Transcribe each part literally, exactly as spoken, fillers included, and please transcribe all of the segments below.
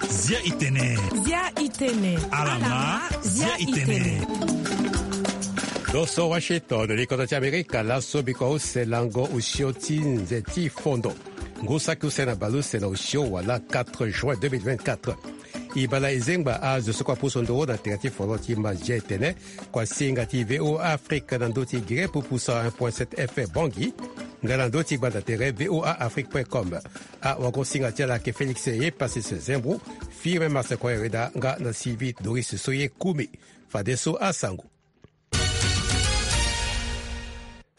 Zia itene. Zia itene. Alama, zia itene. Lo so Washington, likoto ti Amerika, laso biko use lango osio ti nze ti fondo. Ngu saki use na baleuse na osio wala quatre juin deux mille vingt-quatre. E bala e zengba azo so kue apusu nduru na tere ti fondo ti ma zia itene. Kuasinga ti V O A Afrique na ndö ti Guinée pupusa un point sept F M Bangui. Nga na ndö ti gbanda tere V O A Afrique point com. Awagosinga ti ala ayeke Félix Epasis Zembro, Firmin Marcel Koyereda nga na Sylvie Doris so ye kumi. Fadeso asango.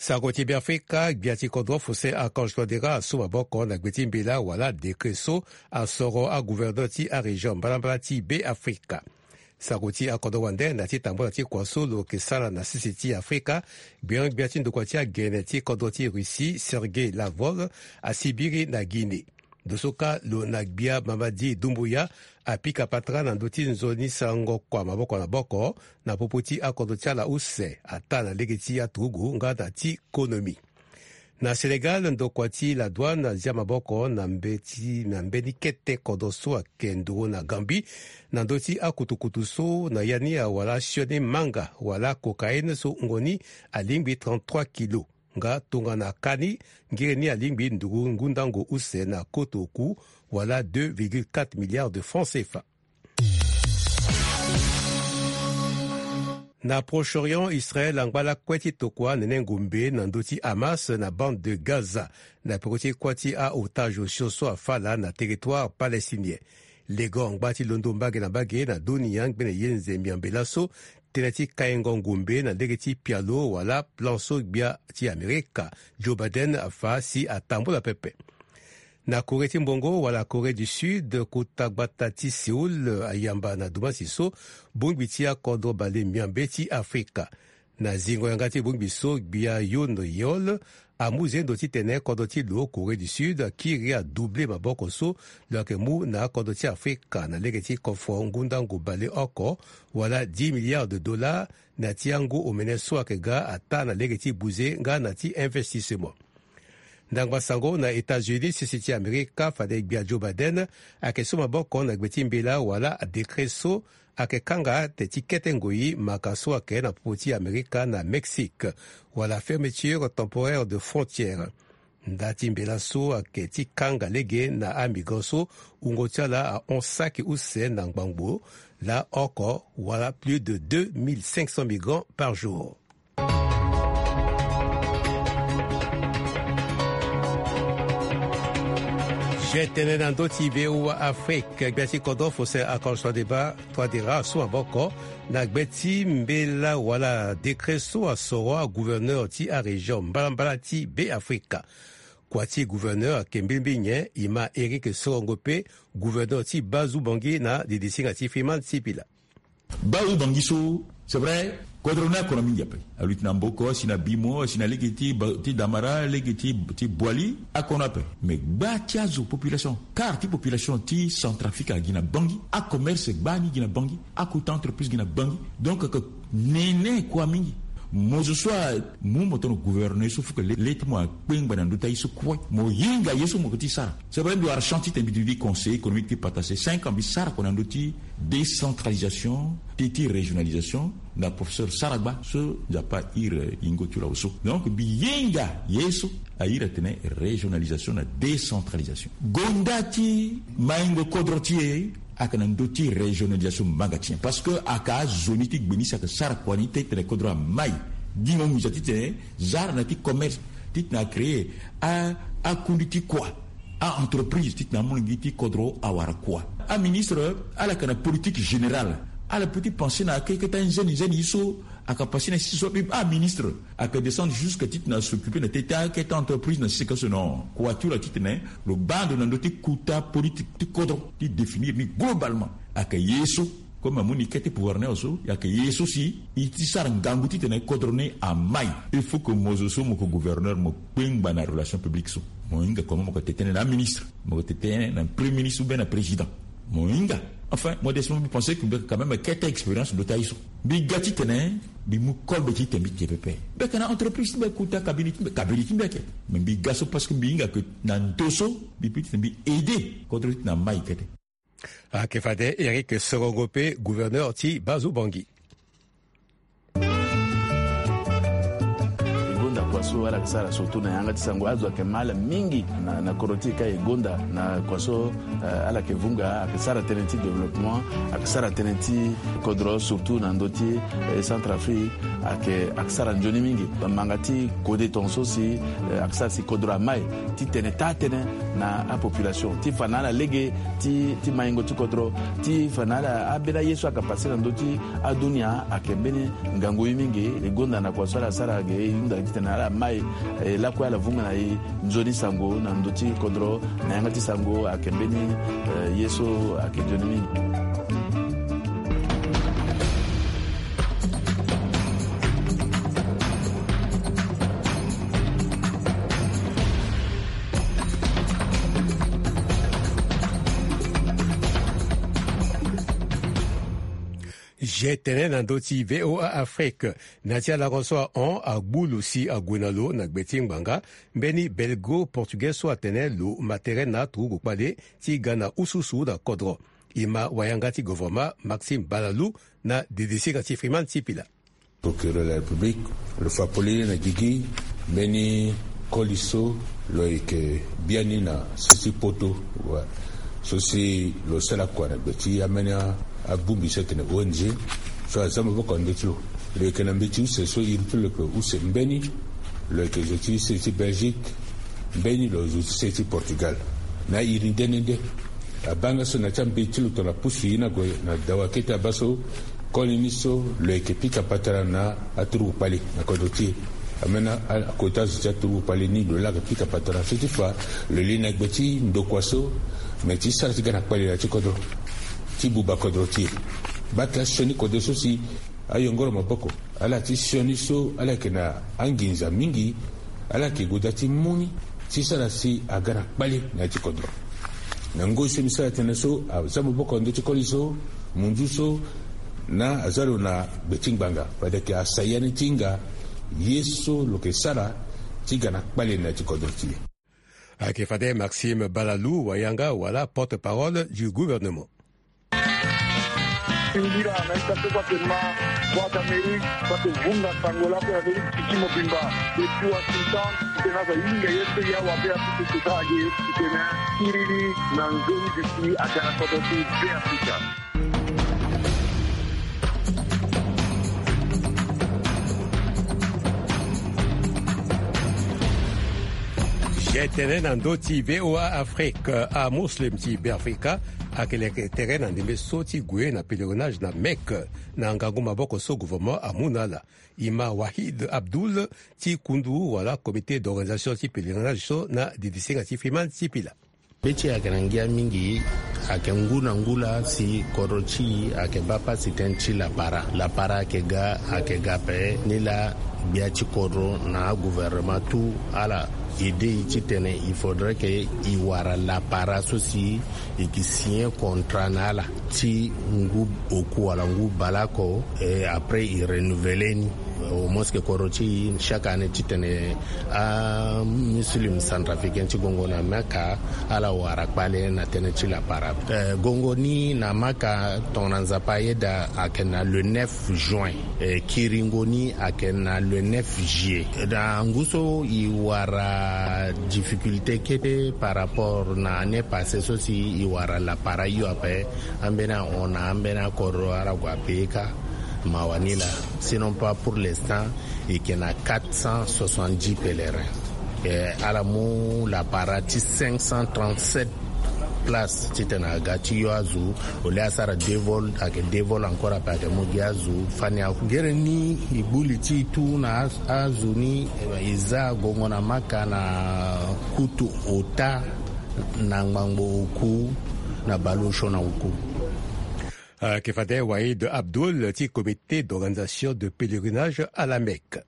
Sango ti Beafrika, gbia ti kodro Faustin Archange Touadéra asu maboko na gbe ti mbela wala décret so asoro agouverneur ti arégion mbalambala ti Beafrika. Sango ti akodro wande na ti tambula ti kua so lo yeke sara na sese ti Afrika, gbiangbia ti ndokua ti agene ti kodro ti Russie, Sergei Lavrov, asibiri na Guinée. Ndo so kâ lo na gbia Mamadi Doumbouya apika patara na ndö ti nzoni sarango kua maboko na maboko na popo ti akodro ti ala use, ataa na lege ti aturugu nga na ti konomi. Na Sénégal, ndokua ti la douane azia maboko na mbe ti, na mbeni kete kodro so ayeke nduru na Gambie, na ndö ti akutukutu so na ya ni awara sioni manga wala cocaïne so wungo ni alingbi trente-trois kilos. Nga tongana kani, ngiri ni alingbi nduru ngundango use na koto oku, wala deux virgule quatre milliards de francs C F A. Na Proche-Orient, Israël angba lakue ti tokua nene ngombe na ndö ti Hamas na bande de Gaza, na peko ti kuâ ti a-otage osio so afâ laa na territoire palestinien. Legon angba ti londo mbage na mbage na dunia ngbene ye nze miambe laso, tënë ti kaingo ngombe na lege ti pialo wala plan so gbia ti Amerika, Joe Biden, afâ si atambula pepe. Na Corée ti mbongo wala Corée du Sud, kota gbata ti Séoul ayamba na dumasi so bongbi ti akodro bale miambe ti Afrika. Na zingo yanga ti bongbi so, gbia Yoon Yeol amu zendo titene kodro ti lo Corée du Sud akiri adouble maboko so lo yeke mu na akodro ti Afrika na lege ti kofo ngundangu bale oko, wala dix milliards de dollars, na ti angu omene so ayeke ga ataa na lege ti buze nga na ti investissement. Ndangba sango na États-Unis, sese ti Amerika, fade gbia Joe Biden ayeke su maboko na gbe ti mbela wala décret so ayeke kanga teti kete ngoi maka so ayeke na popo ti Amerika na Mexique, wala fermeture temporaire de frontière. Nda ti mbela so ayeke ti kanga lege na amigrant so wungo ti ala ahon saki use na ngbangbo laa oko, wala plus de deux mille cinq cents migrants par jour. Zia tënë na ndö ti V O A Afrique, gbia ti kodro Faustin Archange Touadéra, Touadéra asu maboko na gbe ti mbela wala décret so asoro agouverneur ti arégion mbalambala ti Beafrika. Kua ti gouverneur ayeke mbilimbili nyen? E ma Éric Sorongo Pe, gouverneur ti Bazu Bangui na didisinga ti Freeman Sipila. Bazu Bangui so, c'est vrai, kodro ni akona mingi ape. Aluti na mboko, asi na bimo, asi na lege ti ba-, ti damara, lege ti, ti bwali, akona ape. Mais gba ti azo population, quart ti population ti Centrafrique agi na Bangui, acommerce gbani gi na Bangui, akota entreprise gi na Bangui. Donc, ake nene kua mingi. Mo zo so amu mo tongana gouverneur so, faut que le, le ti mo akpengba na ndö ti aye so kue. Mo hinga ye so mo yeke ti sara. C'est vrai, mbi wara chance titene mbi duti conseiller économique ti Patassé cinq ans, mbi sara kua na ndö ti décentralisation, ti, ti régionalisation, na professeur Saragba so Nzapa ahiri yingo ti lo awe so. Donc mbi hinga ye so ahiri atene régionalisation na décentralisation. Gonda ti maingo kodro ti e ayeke na ndö ti régionalisation manga ti nyen? Parce que ayeke azo ni ti gbe ni si ayeke sara kua ni titene kodro amai. Gi mo nginza titene zara na ti commerce, titene acréer a, akundi ti kua, a-entreprise, titene amu lingbi ti kodro awara kua. Aministre ala yeke na politique générale. Ala peut ti penser na akeketa nzeni nzeni ye so ayeke passer na sisi so abe. Aministre ayeke descendre jusque titene as'occuper na teti aketa entreprise na sisi ka so. Non, kua ti lo titene lo baa ndo na ndö ti kota politique ti kodro ti définir ni globalement. Ayeke ye so, comme amu ni kete pouvoir ni awe so, ayeke ye so si e ti sara ngangu titene kodro ni amai. Il faut que mo zo so mo yeke gouverneur, mo kpengba na relation publique so. Mo hinga comment mo yeke tene tënë na aministre, mo yeke tene tënë na premier ministre ou bien na président. Mo hinga Enfin, modestement, mbi pense que mbi yeke quand même kete expérience ndo ti aye so. Mbi ga titene mbi mu kolbe ti tene mbi ke pepe. Mbi yeke na entreprise ti mbi, kota kabiri ti mbi, kabiri ti mbi ayeke. Mais mbi ga so parce que mbi hinga ke na ndo so mbi peut titene mbi aide kodro ti tene amai kete. Ayeke fade Eric Sorongo pe, gouverneur ti Bazubangi. E gonda kua so ala yeke sara surtout na yanga ti sango. Azo ayeke ma ala mingi na, na kodro ti e ka e gonda na kua so, eh, ala yeke vunga, ayeke sara tënë ti développement, ayeke sara tënë ti kodro surtout na ndö ti, eh, Centrafrique, ayeke, ayeke sara nzoni mingi. Manga ti kode tongaso si, eh, ayeke sara si kodro amai titene taa tënë na apopulation, ti fa na ala lege ti, ti maingo ti kodro, ti fa na ala, ambeni aye so ayeke pase na ndö ti adunia ayeke mbeni ngangu ye mingi. E gonda na kua so ala sara ge, e hunda titene ala mai, eh, lakue ala vunga na e nzoni sango na ndö ti kodro, na yanga ti sango ayeke mbeni, eh, ye so ayeke nzoni mingi. Ge tene na ndö ti V O A Afrique, na ti alango so ahon agbu lo si ague na lo na gbe ti ngbanga, mbeni belgo portugais so atene lo ma tere na turugu kpale ti ga na ususu na kodro. E ma wayanga ti govoroma Maxime Balalou na didisinga ti Freeman Sipila. Procureur de la République, lo fa polele na gigi mbeni koli so lo yeke biani na sese ti poto. Wa. So si lo sara kua na gbe ti ambeni abongbi so ayeke na O N G so aza maboko na ndö ti lo. Lo yeke na mbeti use so iri ti lo yeke use mbeni, lo yeke zo ti se ti Belgique, mbeni lo zo ti se ti Portugal. Na iri nde nde nde. Abaa nga so na ya ti ambeti lo tongana pusu ye ni ague na dawa kete abaa so, koli ni so lo yeke pika patara na aturugu kpale na kodro ti e. Ambeni a, a, akota zo ti aturugu kpale ni lo laa ayeke pika patara so ti fa lo li na gbe ti ndokua so, me ti sara ti ga na kpale na ya ti kodro ti buba kodro ti e. Baa ake asioni kode so si ayongoro maboko, ala ti sioni so ala yeke na anginza mingi, ala yeke gue daa ti mu ni ti sara si aga na kpale na ya ti kodro. Na ngoi so mbi sara tënë so, aza maboko na ndö ti koli so, munzu so, na aza lo na gbe ti ngbanga, fade ayeke asaya ni ti hinga ye so lo yeke sara ti ga na kpale na ya ti kodro ti e. Ayeke fade Maxime Balalou, wayanga wala porte-parole du gouvernement. Singila na ita so kua ke ma Voix d'Amérique, kua ke vunga sango lakue na ndö ti ti mobimba. Depuis Washington, titene aza hinga ye so ya wabe apusu kota age, titene kiriri na nzoni duti aga na kodro ti Beafrika. Ge tene na ndö ti V O A Afrique, amuslim ti Beafrika ayeke leke tere na ndembe so ti gue na pèlerinage na Mecque, na ngangu maboko so gouvernement amu na ala. E ma Wahid Abdoul ti kundu wala comité d'organisation ti pèlerinage so na didisinga ti Freeman Sipila. Be ti e ayeke na ngia mingi, ayeke ngu na ngu laa si kodro ti e ayeke baa pasi tënë ti lapara. Lapara ayeke ga, ayeke ga ape, ni laa gbia ti kodro na agouvernement tout ala aide e titene il faudrait que e wara lapara so si e ke signer contrat na ala ti ngu oku wala ngu baleoko, et après e renouveler ni. Au moins que kodro ti e chaque année titene amuslim centrafricain ti gongo na Mecque ala wara kpale na tënë ti lapara. Eh, gongo ni na Mecque tongana Nzapa ayeda ayeke na le neuf juin. Eh, kiringo ni ayeke na le neuf juillet. Na ngu so e wara difficulté kete par rapport na année passée so si e wara lapara hio ape. Ambeni ahon na ambeni akodro ala gue ape kâ. Mawa ni laa. Sinon pas pour l'instant, e yeke na quatre cent soixante-dix pèlerins. Eh, ala mu lapara ti cinq cent trente-sept places titene aga ti yo azo. Au lieu asara deux vols, ayeke deux vols encore ape ayeke mu gi azo fani ako. Gere ni e gbu li ti e tout na a, azo ni, eh, e za gongo na Mecque na kutu ota na ngbangbo oku na baleosio na oku. Ayeke fade Wahid Abdoul ti comité d'organisation de pèlerinage à la Mecque.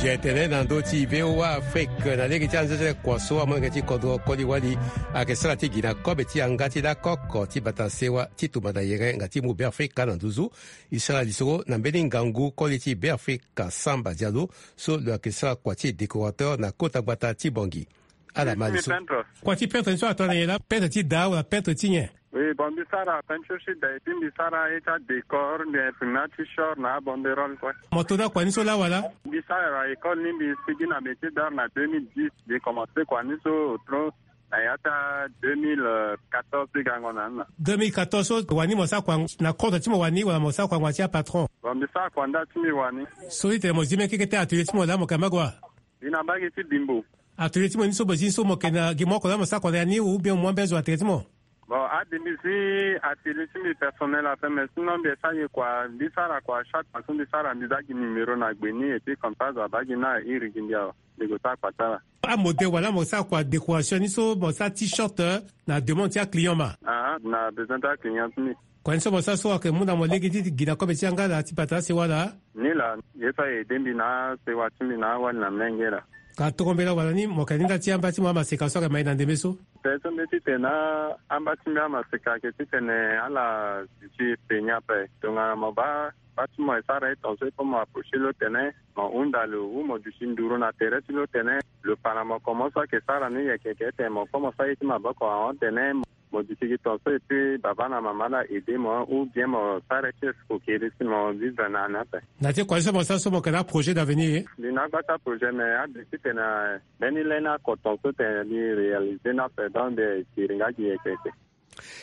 Ti e tene na ndö ti VOA Afrique na lege ti anzezele kua so amolenge ti kodro koli wali ayeke sara ti gi na kobe ti yanga ti lakoko ti bata sewa ti tumba na yere nga ti mu Beafrika na nduzu. E sara lisoro na mbeni ngangu koli ti Beafrika Samba Diallo so lo yeke sara kua ti décorateur na kota gbata ti Bangui. Ala ma lisoro. Kua ti peintre ni so atene na nyen laa? Peintre ti daa wala peintre ti nyen? Oui, bon, mbi sara peinture ti da, et puis mbi sara ye ti adécor, mbi imprime ti short na abanderole kue. Mo to daa kua ni so laa wala? Mbi sara école ni, mbi sigi na métier d'art na deux mille dix. Mbi commencé kua ni so otro na ya ti deux mille quatorze ti gango na ni na. Deux mille quatorze so wani mo sara kua na kodro ti mo wani wala mo sara kua ngbanga ti apatron? Bon, mbi sara kua nda ti mbi wani. So ti tene mo zi mbeni keke ti atelier ti mo laa mo yeke na mbage wa? Mbi na mbage ti Bimbo. Atelier ti mo ni so mo zi ni so mo yeke na gi mo oko laa mo sara kua na ya ni ou bien mo mu ambeni azo atelier ti mo? Bon, ade mbi zi atelier ti mbi personnel ape, mais sinon mbi sara ye kua, mbi sara kua chaque fois so mbi sara mbi za gi numéro na gbe ni, et puis comme ça zo abaa gi ni na iri gi mbi awe, mbi gue sara kua ti ala. Amodèle wala mo sara kua décoration ni so mo sara t-shirt, eh, na demande ti aclient ma? Ah, na besoin ti aclient ti mbi. Kua ni so mo sara so ayeke mu na mo lege ti gi na kobe ti yanga laa ti bata asewa laa? Ni laa, ye so aye aidé mbi na asewa ti mbi na awali na mlenge laa. Ka toro mbela wala ni mo yeke na ni nda ti amba ti mo amaseka so ayeke ma e na ndembe so? Pe so mbi ti tene na amba ti mbi amaseka ayeke titene ala duti e pe ni ape. Tongana mo baa baa ti mo e sara e tongaso e pe mo approché lo tene mo hunda lo ou mo duti nduru na tere ti lo tene lo fa na mo comment so ayeke sara ni yeke yeke tene mo kue mo sara ye ti maboko ahon tene mo mo duti gi tongaso et puis baba na mama la aidé mo ou bien mo sara ti escroquerie si mo vivre na ni ape. Na ti kua ni so mo sara so mo yeke na aprojet d'avenir? Mbi na agba ti aprojet mais ade titene mbeni lani ako tongaso tene mbi réalisé ni ape donc mbi siri nga gi yeke yeke.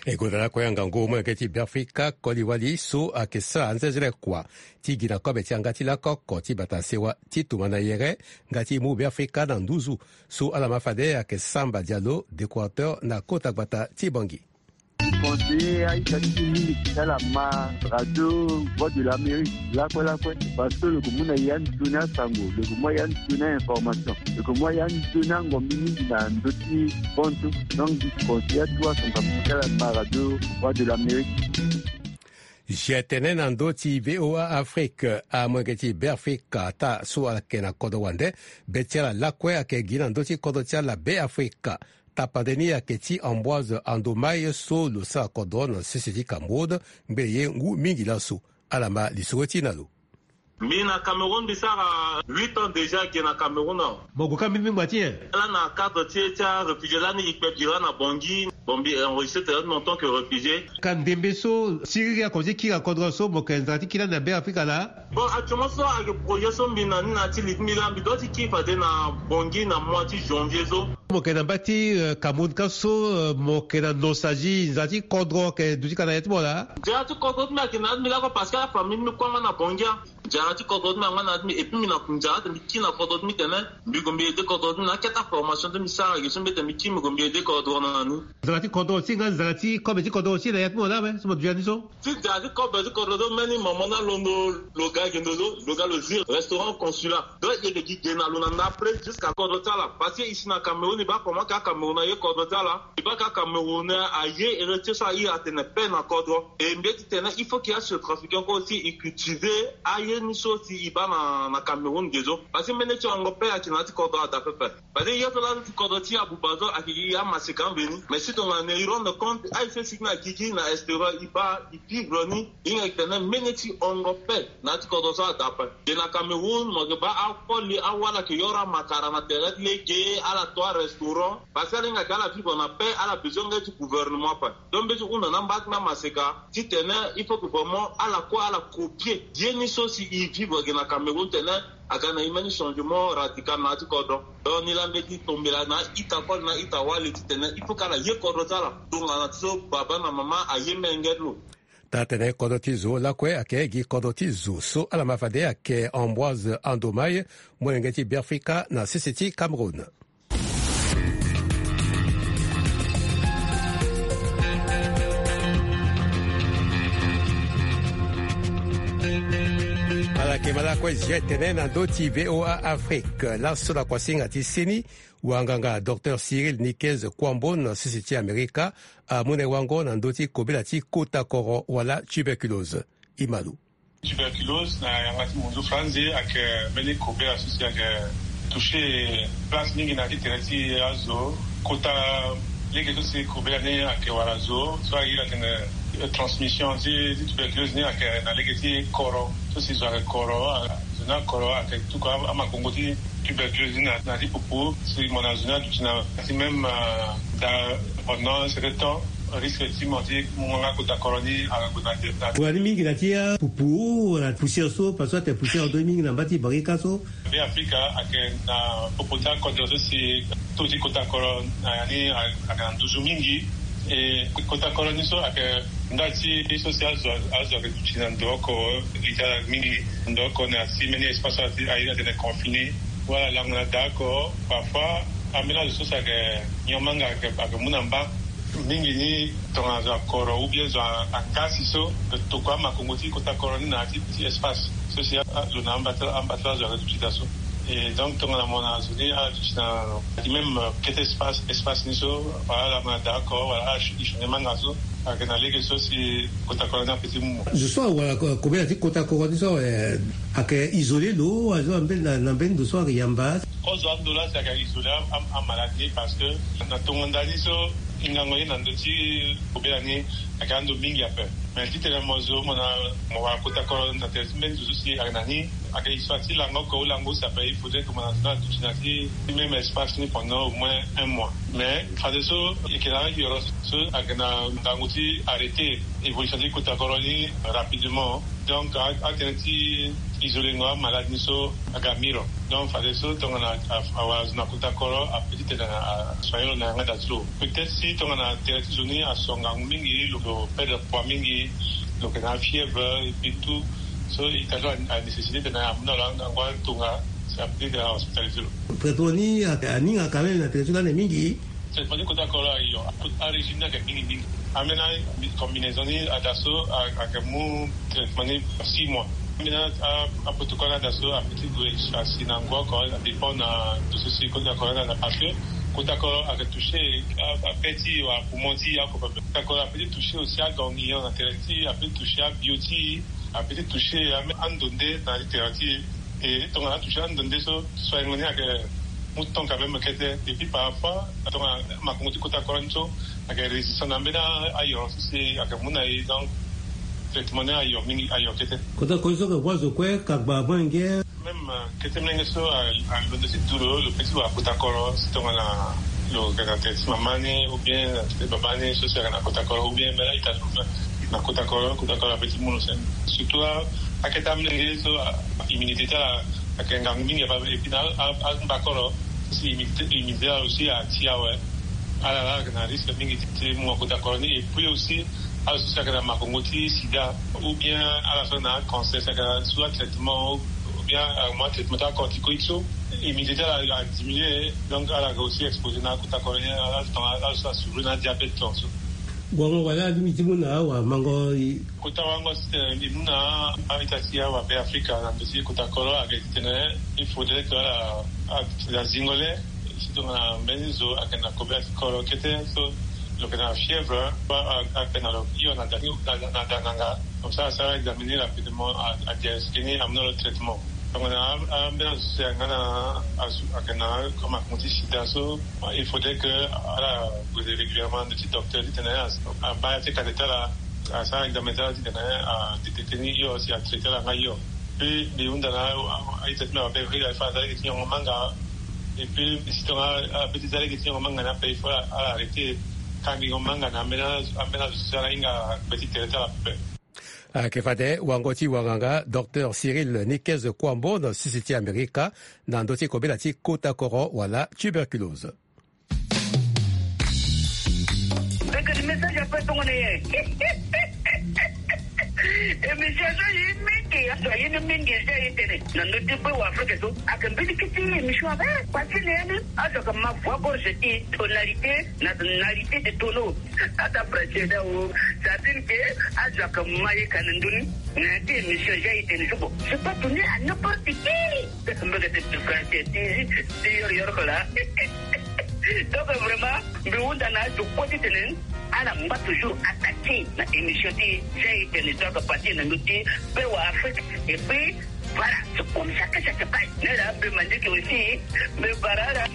E gonda lakue angangu molenge ti Beafrika koli wali so ayeke sara anzezele kua ti gi na kobe ti yanga ti lakoko ti bata sewa ti tumba na yere nga ti mu Beafrika na nduzu. So ala ma fade ayeke Samba Diallo, décorateur na kota gbata ti Bangui. Conseiller aita ti mingi ti ala ma radio Voix de l'Amérique lakue lakue, parce que lo yeke mu na ya nzoni asango, lo yeke mu ya nzoni information, lo yeke mu ya nzoni angombi mingi na ndö ti bonso. Donc mbi conseiller atu asango ti ala ma radio Voix de l'Amérique. Zi tene na ndö ti VOA Afrique, amolenge ti Beafrika ata so ala yeke na kodro wande, be ti ala lakue ayeke gi na ndö ti kodro ti ala Beafrika. Tapande ni ayeke ti Ambroise Andomai so lo sara kodro na sese ti Cameroun ngbene ye ngu mingi laso. Ala ma lisoro ti na lo. Mbi na Cameroun mbi sara huit ans déjà ge na Cameroun awe. Mo gue ka mbimbi ngba ti nyen? Lani na cadre ti e ti aréfugié lani e kpe bira na Bangui. Bon mbi enregistré tere ti mbi en tant que réfugié. Ka ndembe so siriri ako ti kiri na kodro so mo yeke nzara ti kiri lani na Beafrika laa? Bon actuellement so ayeke projet so mbi na ni na ya ti li ti mbi laa mbi doit ti kiri fade na Bangui na mois ti janvier so. Mo yeke na mba ti, euh, Cameroun ka so, euh, mo yeke na nostalgie, nzara ti kodro ayeke duti ka na ya ti mo laa? Nzara ti kodro ti mbi ayeke na ya ti mbi lakue parce que afamille ti mbi kue angba na Bangui. Nzara ti kodro ti mbi angba na ya ti mbi et puis mbi na nzara ti mbi kiri na kodro ti mbi tene mbi gue mbi aidé kodro ti mbi na akete aformation ti mbi sara ge so mbi tene mbi kiri mbi gue mbi aidé kodro na ni. Nzara ti kodro aussi nga nzara ti kobe ti kodro aussi na ya ti mo laa awe so mo duti ya ni so? Ti nzara ti kobe ti kodro so mbeni mama ni alondo lo ga gendo so lo ga lo zi restaurant Consulat. Donc e yeke gi ge na lo na ndapre jusqu'à kodro ti ala parce que e si na Cameroun e baa comment ka Cameroun aye kodro ti ala. E baa ka Cameroun aye héritier so a iri atene paix na kodro. E mbi ye ti tene il faut que achetrafiquant kue aussi e cultiver aye ni so si e baa na, na Cameroun ge so. Parce que mbeni ti hongo paix ayeke na ya ti kodro ada pepe. Parce que ye so laa ti kodro ti Aboubazoum ayeke gi amaseka mveni. Mais si tongana e rendre compte aye so e sigi na gigi na extérieur e baa e vivre ni. E hinga e tene mbeni ti hongo paix na ya ti kodro so ada ape. Ge na Cameroun mo yeke baa akoli awala ayeke yoro amakara na tere ti lege ala to arestaurant. Parce que ala hinga ayeke ala vivre na paix ala besoin nga ti gouvernement ape. Donc mbi ye ti hunda na mba ti mbi amaseka titene il faut que vraiment ala kue ala copier ye ni so si e vivre ge na Cameroun tene aga na e mbeni changement radical na ya ti kodro. Donc ni laa mbi ye ti tombela na a-ita kue na a-ita wali titene il faut que ala ye kodro ti ala tongana ti so baba na mama aye menge ti lo. Taa tene kodro ti zo lakue ayeke gi kodro ti zo so ala ma fade ayeke Ambroise Andomai, molenge ti Beafrika na sese ti Cameroun. Ala yeke ma lakue zi tene na ndö ti VOA Afrique laso na kuasinga ti seni. Wanganga docteur Cyril Niquez Kouambo na sese ti Amerika amu na e wango na ndö ti kobela ti kota koro wala tuberculose. E ma lo. Tuberculose na yanga ti munzu franzi ayeke mbeni kobela so si ayeke toucher place mingi na ti tere ti azo. Kota lege so si kobela ni ayeke wara zo so aye atene transmission ti tuberculose ni ayeke na lege ti koro so si zo ayeke koro. Zo ni akoro ayeke tuku amakongo ti tuberculose ni na ti pupu si mo na zo ni aduti na ti même da pendant certain temps. Risque ti mo ti mu nga kota koro ni ala gue na de na. Wani mingi na ti apupu wala poussière so parce que ate poussière ando mingi na mba ti barika so. Be afrika ayeke na popo ti akodro so si taux ti kota koro na ya ni ayeke na nduzu mingi. E kota koro ni so ayeke nda ti so si azo azo ayeke duti na ndo oko. Li ti ala mingi ndo oko na si mbeni espace so aye atene confiné wala lango na da oko. Parfois ambeni azo so si ayeke nyon manga ayeke mu na mba mingi ni tongana zo akoro ou bien zo angasi so tokua amakongo ti kota koro ni na ti espace so si azo na ambata ambata azo ayeke duti da so. E donc tongana mo na azo ni ala duti na ti même kete espace espace ni so wala ala ma d'accord wala ala chute chute manga so. Ayeke na lege so si kota koro ni ape ti mu zo so awara kobela ti kota koro ni so ayeke isolé lo azo na mbeni ndo so ayeke yamba. Kozo ando la si ayeke isolé amaladi ni parce que na tongo ndani so ngango ye na ndo ti kobela ni ayeke ando mingi ape. Mais titene mo zo mo na mo wara kota koro na tere ti mbeni zo so si ayeke na ni ayeke histoire ti lango oko ou lango use ape il faudrait que mo na zo na duti na ti même espace ni pendant au moins un mois. Mais fadeso e yeke na ayoro so ayeke na ngangu ti arrêter évolution ti kota koro ni rapidement. Donc atene ti isolengo amaladi ni so aga miro. Donc fadeso tongana awara zo na kota koro ape titene asoignelo na yanga da ti lo. Peut-être si tongana tere ti zo ni aso ngangu mingi lo perdre poids mingi lo yeke na afièvre et puis tout. So ita so anécessité tena amu na lo angangu atonga si ape titene ahospitalisé lo. Traitement ni aninga quand même na tere ti lani mingi. Traitement ti kota koro ayo. Arégime ni ayeke mingi mingi. Ambeni combinaison ni ada so ayeke mu traitement ni six mois. Ambeni aprotocole ni ada so ape ti gue asi na ngu oko adépend na ndo so si kota koro ni ada parce que kota koro ayeke touché ape ti wa poumon ti e oko pepe. Kota koro ape ti touché aussi aganglion na tere ti e ape ti touché abio ti e ape ti touché ando nde na ti tere ti e. E tongana atouché ando nde so soigngo ni ayeke mu temps quand même kete. Et puis parfois tongana makongo ti kota koro ni so ayeke résistant na mbeni ayoro so si ayeke mu na e. Donc traitement ni ayo mingi ayo kete. Kota koro ni so ayeke voie zo kue kagba avant nge. Même kete mlenge so alondo ti du lo lo pe ti wara kota koro si tongana lo yeke na tere ti mama ni ou bien na tere ti baba ni so si ayeke na kota koro ou bien mbela ita lo na kota koro kota koro ape ti mu lo sene. Surtout akete amlenge so immunité ti ala ayeke ngangu mingi ape. Et puis na angba koro si immunité ala aussi ati awe. Ala la ayeke na risque mingi ti mu akota koro ni. Et puis aussi ala so si ayeke na makongo ti sida ou bien ala so na acancer si ayeke na su atraitement ou bien amu atraitement ti acorticoïde so immunité ti ala adiminué. Donc ala yeke aussi exposé na akota koro ni ala so asouffrir na adiabète tongaso. Wango wala alingbi ti mu na awamango. Kota wango si tene mbi mu na a-ita ti awabe afrika na ndo ti kota koro ayeke ti tene il faudrait que ala azingo le si tongana mbeni zo ayeke na kobela ti koro kete so lo yeke na fièvre. Ape na lo hio na da na da nanga. Comme ça asara examiner rapidement adiagnostique ni amu na lo traitement. Tongana ambeni azo so si ayeke nga na asu ayeke na comme akongo ti sida so il faudrait que ala gue régulièrement na ndo ti docteur titene abaa ya ti kate ti ala asara examen ti ala titene adétecter ni hio si atraiter ala nga hio. Puis mbi hunda na a-ita ti mbi awabe afrika il faut aza lege ti nyongo manga. Et puis si tongana ape ti za lege ti nyongo manga ni ape il faut ala arrêter kangingo manga na ambeni azo so si ala hinga gbe ti tere ti ala pepe. Ayeke fade wango ti wanganga docteur Cyril Nicaise Kouambo na sese ti Amerika na ndö ti kobela ti kota koro wala tuberculose. Mbekeni message ape tongana ye. Émission so ye mingi azo aye ni mingi eza ye tene na ndö ti be wa Afrika so ayeke mbeni kiti émission ape. Pasi na ye ni azo ayeke ma voix gorge ti tonalité na tonalité de tonneau. Ata pratier da wo. Ça veut dire que azo ayeke ma ye ka na ndö ni na ya ti émission ja ye tene so bon c'est pas donné à n'importe qui. Mbeke ti français ti ti yoro yoro ko la. Donc vraiment mbi hunda na azo kue ti tene Ala mba toujours attaqué na émission ti Jay Tennis, donc parti na ndö ti Bewa Afrique. Et puis voilà, c'est comme ça que ça se passe. Nera be mandiki aussi, me barara.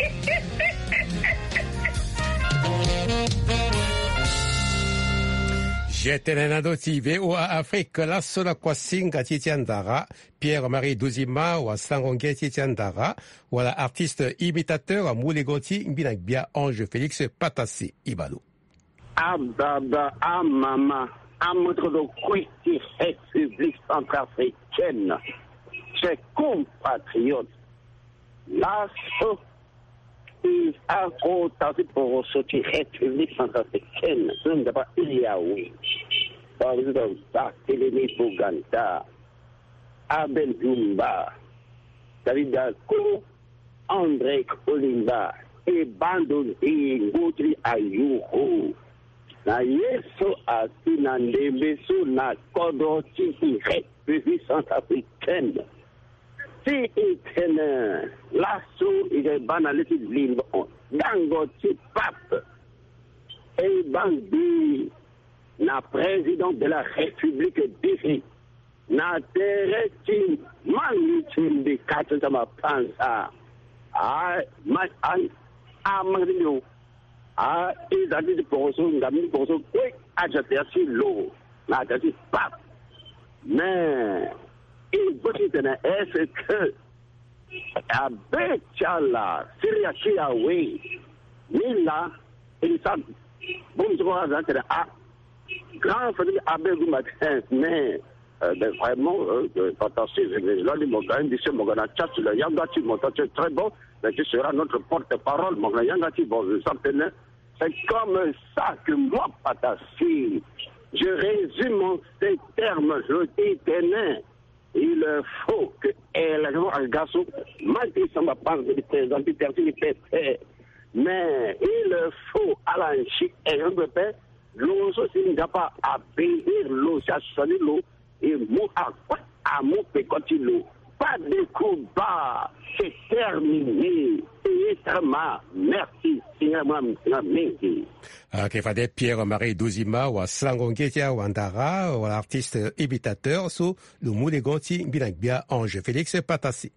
Jetene na ndö ti V O A Afrique, laso na kuasinga ti e ti andara, Pierre Marie Dozima, wasango nge ti e ti andara, wala artiste imitateur, amu lego ti mbi na gbia Ange Félix Patase Ibalo. Ababa, amama, amoto do kue ti République centrafricaine, chers compatriotes, laso i akota ti poroso ti République centrafricaine so nzapa iri awe. Président Barthélemy Boganda, Abel Dumba, David Dako, André Kolimba, e bando nde ngu ti ayuru. Na ye so asi na ndembe so na kodro ti République centrafricaine. Si e tene laso e ga e baa na le ti limbo dango ti pape. E baa mbi na président de la République d'Égypte na tere ti mangi ti mbi kati ti ama panza. A ma a a mangi ti mbi o. A e za ti ti poroso nga mbi ti poroso kue aja tere ti lo na tere ti pape. Mais e go ti tene est-ce que abe ti ala Syria ti awe ni la? E sa bon so ko aza tene a grand famille abe gumba ten mais euh, ben, vraiment euh, euh, fantastique. Là ni mo ga indi se mo ga na chat la yanga ti mo ta très bon. Mais tu seras notre porte-parole. Mo ga na yanga ti bon ça tene. C'est comme ça que moi, Patasi, je résume en ces termes, je dis, tenez, il faut que élection à Gassou, Macky Samba parle de président du quartier du P P, mais il faut à la Chine et le P P, l'eau aussi n'a pas à payer l'eau, ça se dit l'eau, e mu akue amu peko ti lo. Pas de combat, c'est terminé. Payé sama, merci. Singa ma singa mingi. Ayeke fade Pierre Marie Dozima wasango nge ti awandara wala artiste imitateur so lo mu lego ti mbi na gbia Ange Félix Patasi.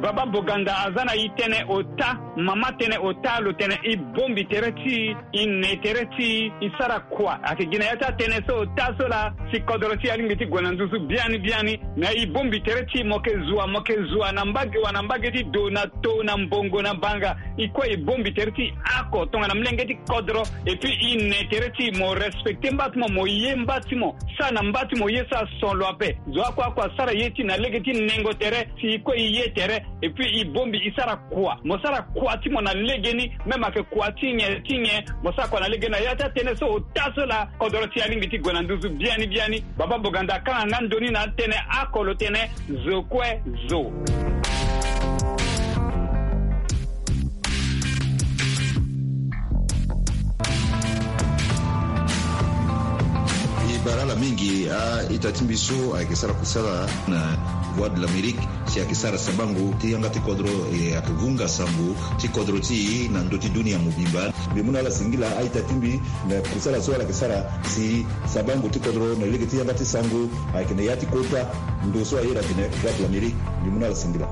Baba Boganda aza na e tënë ota, mama tënë ota, lo tene e bongbi tere ti e, e ne tere ti e, e sara kua. Ayeke gi na ya ti atënë so ota so laa si kodro ti e alingbi ti gue na nduzu biani biani. Me e bongbi tere ti e, mo yeke zua, mo yeke zua na mbage wa na mbage ti do na to na mbongo na banga. E kue e bongbi tere ti e oko tongana molenge ti kodro. Et puis e ne tere ti e, mo respecte mba ti mo, mo ye mba ti mo, sara na mba ti mo ye so ason lo ape. Zo oko oko asara ye ti e na lege ti nengo tere, si e kue e ye tere. Et puis e bongbi e sara kua, mo sara kua ti mo na legeni. Même ayeke kua ti nyen ti nyen, mo sara kua na legeni. Na ya ti atënë so ota so laa kodro ti e alingbi ti gue na nduzu biani biani. Baba Boganda akanga nga ndoni na atënë oko lo tene zo kue zo. E bara ala mingi a-ita ti mbi so ayeke sara kusala na Voix de l'Amérique, si ayeke sara sabango ti yanga ti kodro, e ayeke vunga sango ti kodro ti e na ndö ti dunia mobimba. Mbi mu na ala singila a-ita ti mbi na kusala so ala yeke sara si sabango ti kodro na lege ti yanga ti sango ayeke na ya ti kota ndo so aye na tene Voix de l'Amérique. Mbi mu na ala singila.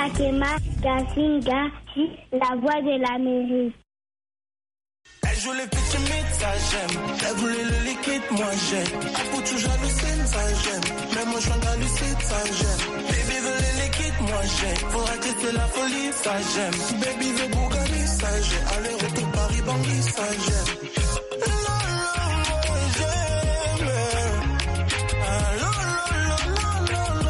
Akema Gasinga, la voix de l'Amérique. Elle joue le petit mid, ça j'aime. Elle voulait le liquide, moi j'aime. Elle fout toujours hallucine, ça j'aime. Même moi je suis hallucine, ça j'aime. Baby veut le liquide, moi j'aime. Faut arrêter, c'est la folie, ça j'aime. Baby veut Bugatti, ça j'aime. Aller-retour Paris-Bangui, ça j'aime. La, la, moi j'aime. Ah, la, la, la.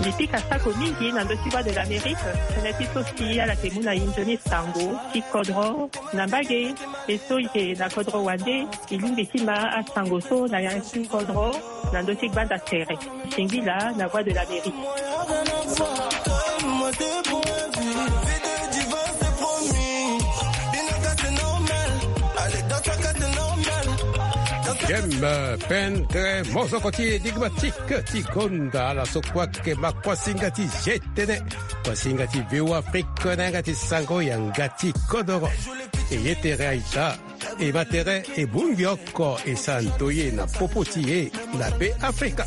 E pika sako mingi na ndö ti Voix de l'Amérique. Tënë ti so si ala yeke mu na e nzoni sango ti kodro na mbage. E so e yeke na kodro wande, e lingbi ti ma asango so na ya ti kodro na ndö ti gbanda tere. Singila na Voix de l'Amérique. J'aime, euh, pendre mozoko ti énigmatique ti gonda ala so kue ayeke ma kuasinga ti G T N, kuasinga ti V O Afrique na yanga ti sango yanga ti kodoro. E ye tere aita. E ma tere e bongbi oko e sara ndoye na popo ti e na Be Afrika.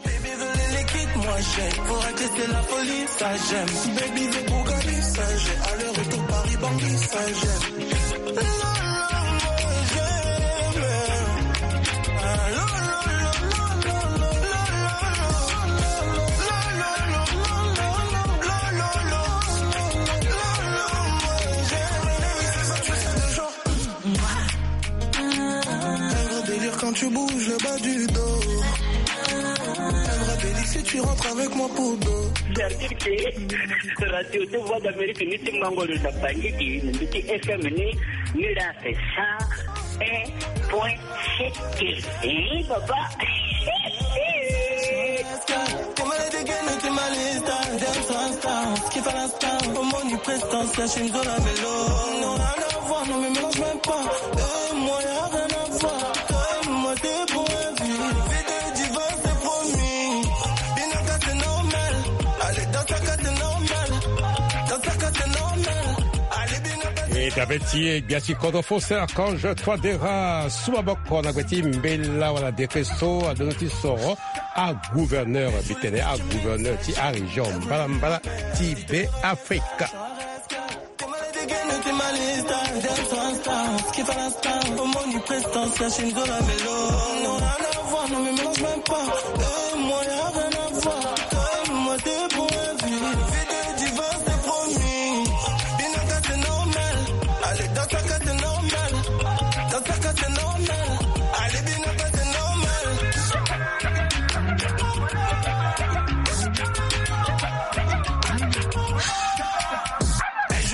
Baby veut les liquides, moi j'ai pour arrêter c'est la folie, ça j'aime. Baby veut Bugatti, ça j'ai aller-retour Paris-Bangui, ça j'aime. La, la, moi j'aime. Ah, la, la, la, la. Quand tu bouges le bas du dos, elle me rappelle si tu rentres avec moi pour dos. C'est-à-dire que radio de Voix d'Amérique, ni ti mango le Zapangiti, ni ti F M ni, ni la c'est cent un point sept. Eh, papa. Comment les dégaines qui m'allait, star, dance, star, qui fait la star, au monde, il prestance, la chine de la vélo. Non, rien à voir, non, mais mélange même pas. Euh, moi, y a rien à voir. Euh, moi, c'est pour un vie. Vie de divorce, c'est promis. Binaka, c'est normal. Allez, dans ta case, c'est normal. Dans ta case, c'est normal. Allez, Binaka, c'est normal. E dabe ti e gbia ti kodro Faustin Archange Touadéra su maboko na gbe ti mbela wala décret so adono ti soro agouverneur, mbi tene agouverneur ti arégion mbalambala ti Be Afrika.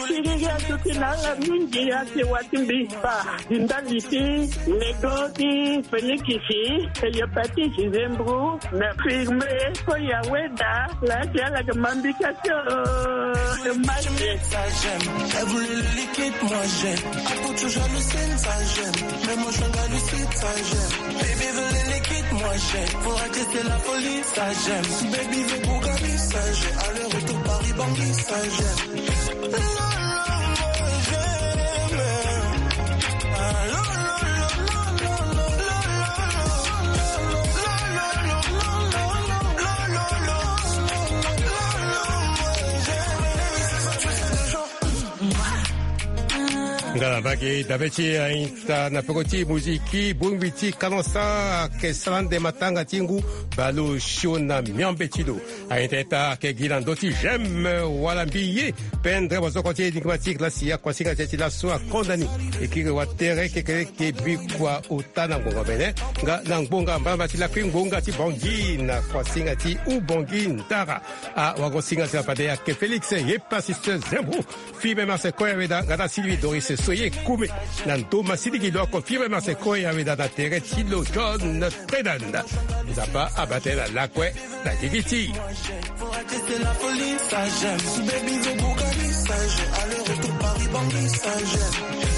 Siriri aduti na ala mingi ake wati mbi fa. Di ndali ti lego ti fenikisi, hépatite, zembro, na firme, ko ya weda, la ti ala ke mambika tio. Dommage. Ça j'aime. Elle voulait le liquide, moi j'ai. Ah, pour toujours le signe, ça j'aime. Mais moi je suis dans le sud, ça j'aime. Baby veut les liquides, moi j'ai. Pour arrêter c'est la folie, ça j'aime. Baby veut Bugatti, ça j'ai. Aller-retour Paris-Bangui, ça j'aime. Nga na mbage dabe ti ainta na peko ti muziki bongbi ti kanosa ake sala nde matanga ti ngu balo sio na miambe ti lo. Aita ita ake gi na ndö ti j'aime wala mbi ye. Pendre wazoko ti énigmatique la si akuasinga ti e ti laso akonda ni. E kiri watere kekereke bikua ota na ngbonga mene nga na ngbonga mbalamba ti lakui ngbonga ti Bangui na kuasinga ti Ubangui ndara. Awagosinga ti lapade ake Félix ye pasiste Zembo. Fimbe Marseille Koya Weda nga na Sylvie Doris Soye Koumé. Na ndo ma sidi gi lo oko Fimbe Marseille Koya Weda na tere ti lo John Tredan. Nzapa abate na lakue na gigi ti. Faut arrêter, c'est la folie, ça j'aime. Baby veut Bugatti, ça j'aime. Aller-retour Paris-Bangui, ça j'aime.